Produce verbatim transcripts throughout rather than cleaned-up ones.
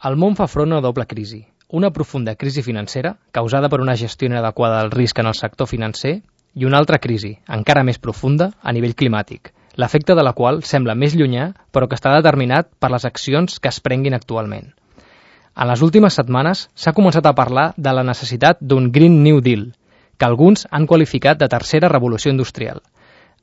El món fa front a una doble crisi. Una profunda crisi financera, causada per una gestió inadequada del risc en el sector financer, i una altra crisi, encara més profunda, a nivell climàtic, l'efecte de la qual sembla més llunyà, però que està determinat per les accions que es prenguin actualment. En les últimes setmanes s'ha començat a parlar de la necessitat d'un Green New Deal, que alguns han qualificat de tercera revolució industrial.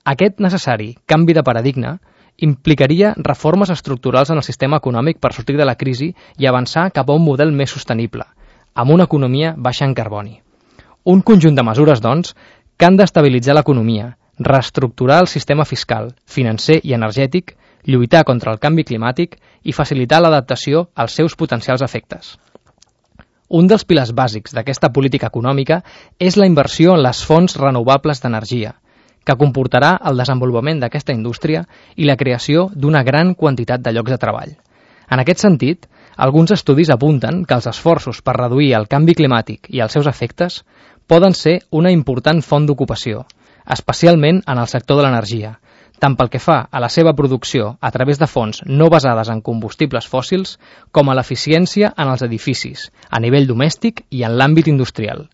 Aquest necessari canvi de paradigma implicaria reformes estructurals en el sistema econòmic per sortir de la crisi i avançar cap a un model més sostenible, amb una economia baixa en carboni. Un conjunt de mesures, doncs, que han d'estabilitzar l'economia, reestructurar el sistema fiscal, financer i energètic, lluitar contra el canvi climàtic i facilitar l'adaptació als seus potencials efectes. Un dels pilars bàsics d'aquesta política econòmica és la inversió en les fonts renovables d'energia, que comportarà el desenvolupament d'aquesta indústria i la creació d'una gran quantitat de llocs de treball. En aquest sentit, alguns estudis apunten que els esforços per reduir el canvi climàtic i els seus efectes poden ser una important font d'ocupació, especialment en el sector de l'energia, tant pel que fa a la seva producció a través de fonts no basades en combustibles fòssils com a l'eficiència en els edificis, a nivell domèstic i en l'àmbit industrial.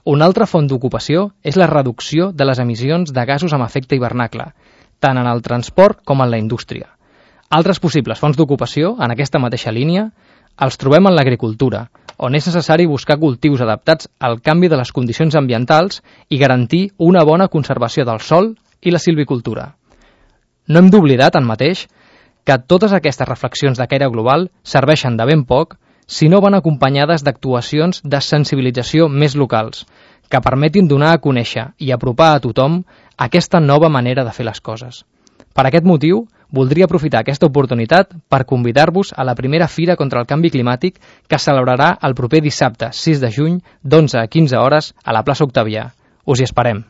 Una altra font d'ocupació és la reducció de les emissions de gasos amb efecte hivernacle, tant en el transport com en la indústria. Altres possibles fonts d'ocupació, en aquesta mateixa línia, els trobem en l'agricultura, on és necessari buscar cultius adaptats al canvi de les condicions ambientals i garantir una bona conservació del sòl i la silvicultura. No hem d'oblidar, tanmateix, que totes aquestes reflexions de caire global serveixen de ben poc si no van acompanyades d'actuacions de sensibilització més locals, que permetin donar a conèixer i apropar a tothom aquesta nova manera de fer les coses. Per aquest motiu, voldria aprofitar aquesta oportunitat per convidar-vos a la primera Fira contra el Canvi Climàtic que es celebrarà el proper dissabte sis de juny d'onze a quinze hores a la plaça Octavià. Us hi esperem.